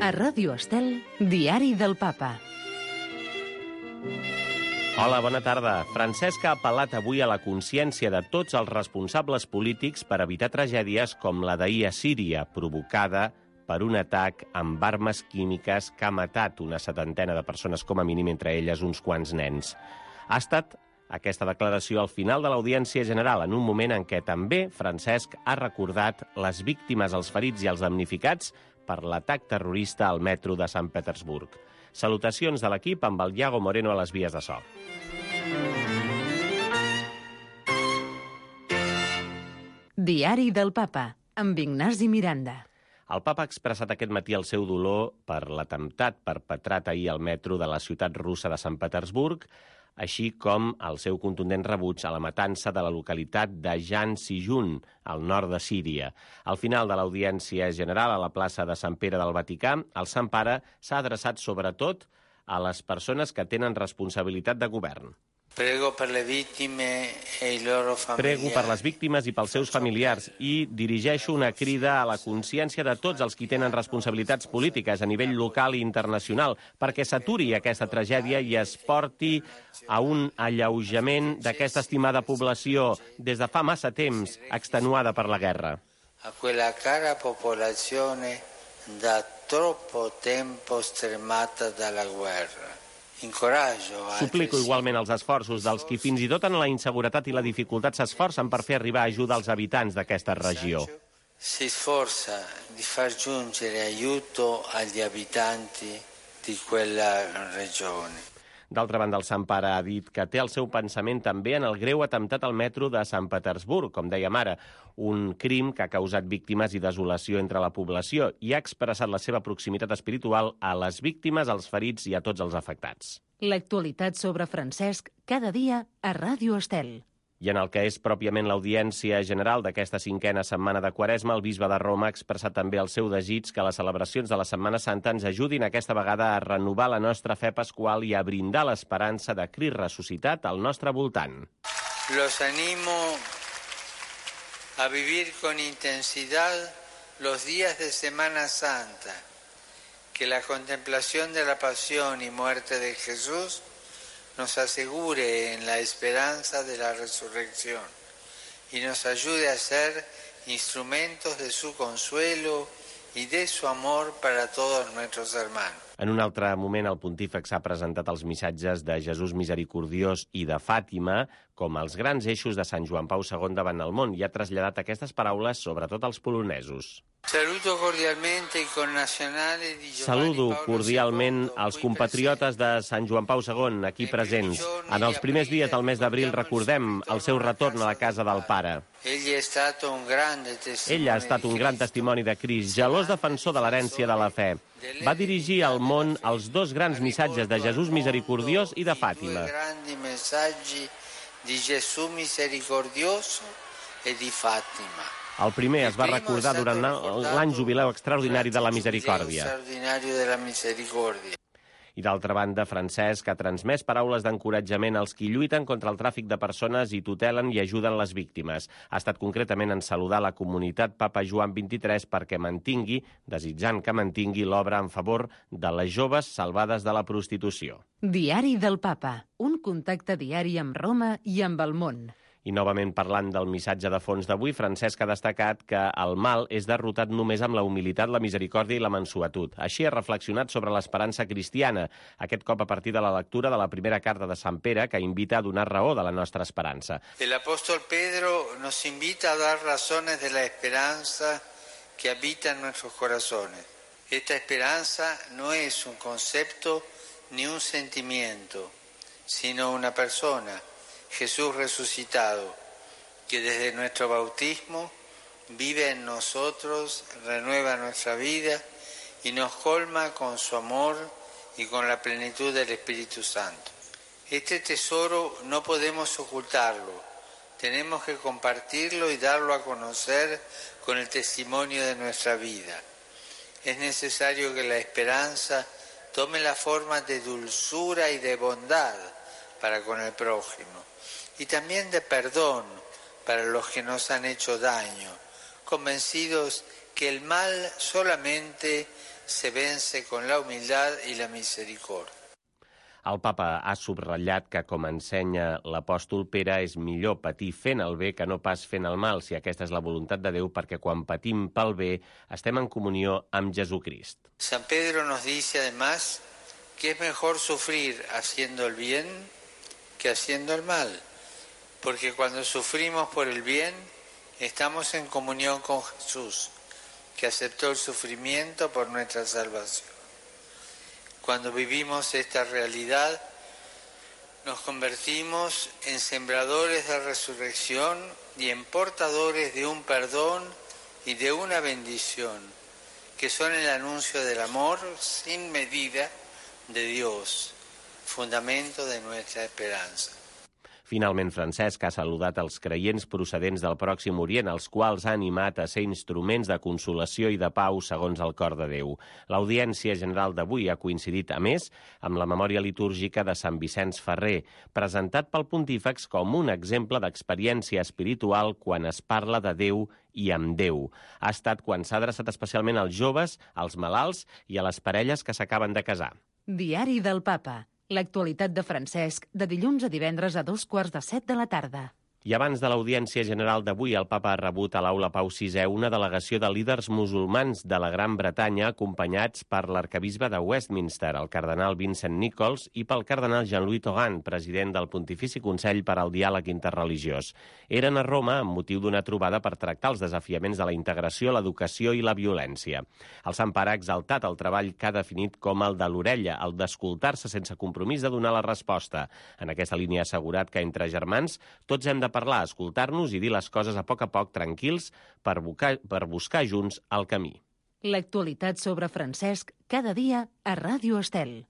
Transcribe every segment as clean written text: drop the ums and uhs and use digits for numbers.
A Ràdio Estel, Diari del Papa. Hola, bona tarda. Francesc ha apel·lat avui a la consciència de tots els responsables polítics per evitar tragèdies com la d'ahir a Síria, provocada per un atac amb armes químiques que ha matat una setantena de persones, com a mínim, entre elles uns quants nens. Ha estat aquesta declaració al final de l'Audiència General, en un moment en què també Francesc ha recordat les víctimes, els ferits i els damnificats per l'atac terrorista al metro de Sant Petersburg. Salutacions de l'equip amb el Iago Moreno a les vies de so. Diari del Papa, amb Ignasi Miranda. El papa ha expressat aquest matí el seu dolor per l'atemptat perpetrat ahir al metro de la ciutat russa de Sant Petersburg, així com el seu contundent rebuig a la matança de la localitat de Jan Sijun, al nord de Síria. Al final de l'Audiència General a la plaça de Sant Pere del Vaticà, el Sant Pare s'ha adreçat sobretot a les persones que tenen responsabilitat de govern. Prego per les víctimes i pels seus familiars i dirigeixo una crida a la consciència de tots els qui tenen responsabilitats polítiques a nivell local i internacional perquè s'aturi aquesta tragèdia i es porti a un alleujament d'aquesta estimada població des de fa massa temps extenuada per la guerra. A quella cara popolazione da troppo tempo stremata dalla guerra. Suplico igualment els esforços dels qui fins i tot en la inseguretat i la dificultat s'esforcen per fer arribar ajuda als habitants d'aquesta regió. Si sforza di far giungere aiuto agli abitanti di quella regione. D'altra banda, el Sant Pare ha dit que té el seu pensament també en el greu atemptat al metro de Sant Petersburg, com dèiem ara, un crim que ha causat víctimes i desolació entre la població i ha expressat la seva proximitat espiritual a les víctimes, als ferits i a tots els afectats. L'actualitat sobre Francesc cada dia a Ràdio Estel. I en el que és pròpiament l'Audiència General d'aquesta 5a setmana de Quaresma, el bisbe de Roma ha expressat també el seu desig que les celebracions de la Setmana Santa ens ajudin aquesta vegada a renovar la nostra fe pasqual i a brindar l'esperança de Crist ressuscitat al nostre voltant. Los animo a vivir con intensidad los días de Semana Santa, que la contemplación de la pasión y muerte de Jesús nos asegure en la esperanza de la resurrección y nos ayude a ser instrumentos de su consuelo y de su amor para todos nuestros hermanos. En un altre moment, el pontífex ha presentat els missatges de Jesús Misericordiós i de Fàtima com els grans eixos de Sant Joan Pau II davant el món i ha traslladat aquestes paraules sobretot als polonesos. Saludo cordialment els compatriotes de Sant Joan Pau II aquí presents. En els primers dies del mes d'abril recordem el seu retorn a la casa del Pare. Ell ha estat un gran testimoni de Crist, gelós defensor de l'herència de la fe. Va dirigir al món els dos grans missatges de Jesús Misericordiós i de Fàtima. El primer es va recordar durant l'any jubileu extraordinari de la Misericòrdia. I d'altra banda, Francesc ha transmès paraules d'encoratjament als qui lluiten contra el tràfic de persones i tutelen i ajuden les víctimes. Ha estat concretament en saludar la comunitat Papa Joan XXIII perquè mantingui, desitjant que mantingui l'obra en favor de les joves salvades de la prostitució. Diari del Papa, un contacte diari amb Roma i amb el món. I novament parlant del missatge de fons d'avui, Francesc ha destacat que el mal és derrotat només amb la humilitat, la misericòrdia i la mansuetud. Així ha reflexionat sobre l'esperança cristiana, aquest cop a partir de la lectura de la primera carta de Sant Pere, que invita a donar raó de la nostra esperança. El apóstol Pedro nos invita a dar razones de la esperanza que habita en nuestros corazones. Esta esperanza no es un concepto ni un sentimiento, sino una persona, Jesús resucitado, que desde nuestro bautismo vive en nosotros, renueva nuestra vida y nos colma con su amor y con la plenitud del Espíritu Santo. Este tesoro no podemos ocultarlo, tenemos que compartirlo y darlo a conocer con el testimonio de nuestra vida. Es necesario que la esperanza tome la forma de dulzura y de bondad para con el prójimo, y también de perdón para los que nos han hecho daño, convencidos que el mal solamente se vence con la humildad y la misericordia. El papa ha subratllat que, com ensenya l'apòstol Pere, és millor patir fent el bé que no pas fent el mal, si aquesta és la voluntat de Déu, perquè quan patim pel bé estem en comunió amb Jesucrist. San Pedro nos dice además que es mejor sufrir haciendo el bien que haciendo el mal, porque cuando sufrimos por el bien estamos en comunión con Jesús, que aceptó el sufrimiento por nuestra salvación. Cuando vivimos esta realidad, nos convertimos en sembradores de resurrección y en portadores de un perdón y de una bendición, que son el anuncio del amor sin medida de Dios, fundamento de nuestra esperanza. Finalment, Francesc ha saludat els creients procedents del Pròxim Orient, els quals ha animat a ser instruments de consolació i de pau segons el cor de Déu. L'audiència general d'avui ha coincidit, a més, amb la memòria litúrgica de Sant Vicenç Ferrer, presentat pel pontífex com un exemple d'experiència espiritual quan es parla de Déu i amb Déu. Ha estat quan s'ha adreçat especialment als joves, als malalts i a les parelles que s'acaben de casar. Diari del Papa. L'actualitat de Francesc, de dilluns a divendres a 2:15 de la tarda. I abans de l'audiència general d'avui, el papa ha rebut a l'Aula Pau VI una delegació de líders musulmans de la Gran Bretanya acompanyats per l'arquebisbe de Westminster, el cardenal Vincent Nichols, i pel cardenal Jean-Louis Tauran, president del Pontifici Consell per al Diàleg Interreligiós. Eren a Roma amb motiu d'una trobada per tractar els desafiaments de la integració, l'educació i la violència. El Sant Pare ha exaltat el treball que ha definit com el de l'orella, el d'escoltar-se sense compromís de donar la resposta. En aquesta línia ha assegurat que entre germans tots hem de parlar, escoltar-nos i dir les coses a poc, tranquils, per buscar junts el camí. L'actualitat sobre Francesc cada dia a Ràdio Estel.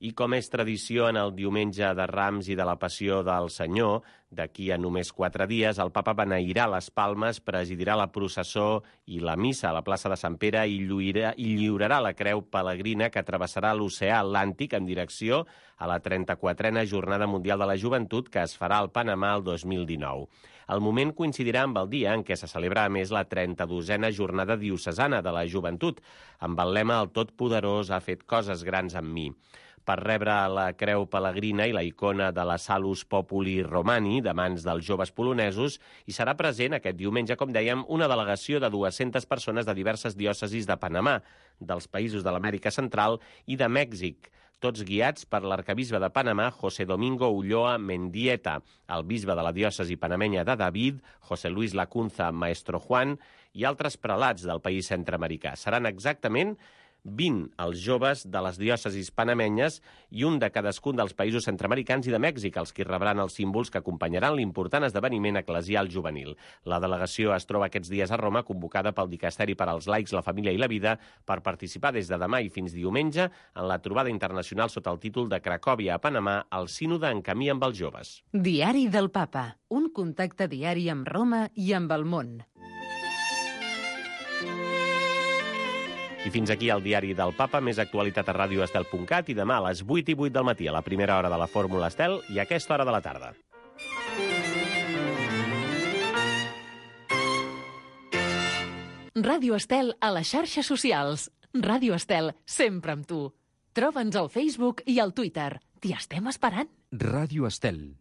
I com és tradició en el diumenge de Rams i de la Passió del Senyor, d'aquí a només 4 dies, el papa beneirà les palmes, presidirà la processó i la missa a la plaça de Sant Pere i lliurarà la creu pelegrina que travessarà l'oceà Atlàntic en direcció a la 34a Jornada Mundial de la Joventut que es farà al Panamà el 2019. El moment coincidirà amb el dia en què se celebra a més la 32a Jornada Diocesana de la Joventut, amb el lema "El Totpoderós ha fet coses grans amb mi". Per rebre la creu pelegrina i la icona de la Salus Populi Romani de mans dels joves polonesos, hi serà present aquest diumenge, com dèiem, una delegació de 200 persones de diverses diòcesis de Panamà, dels països de l'Amèrica Central i de Mèxic, tots guiats per l'arquebisbe de Panamà, José Domingo Ulloa Mendieta, el bisbe de la diòcesi panamenya de David, José Luis Lacunza Maestro Juan, i altres prelats del país centreamericà. Seran exactament 20 els joves de les diòcesis panamenyes i un de cadascun dels països centreamericans i de Mèxic, els que rebran els símbols que acompanyaran l'important esdeveniment eclesial juvenil. La delegació es troba aquests dies a Roma, convocada pel Dicasteri per als Laics, la Família i la Vida, per participar des de demà i fins diumenge en la trobada internacional sota el títol de Cracòvia a Panamà, el sínode en camí amb els joves. Diari del Papa. Un contacte diari amb Roma i amb el món. I fins aquí el diari del Papa, més actualitat a radioestel.cat i demà a les 8:08 del matí, a la primera hora de la Fórmula Estel i a aquesta hora de la tarda. Ràdio Estel a les xarxes socials. Ràdio Estel, sempre amb tu. Troba'ns al Facebook i al Twitter. T'hi estem esperant. Ràdio Estel.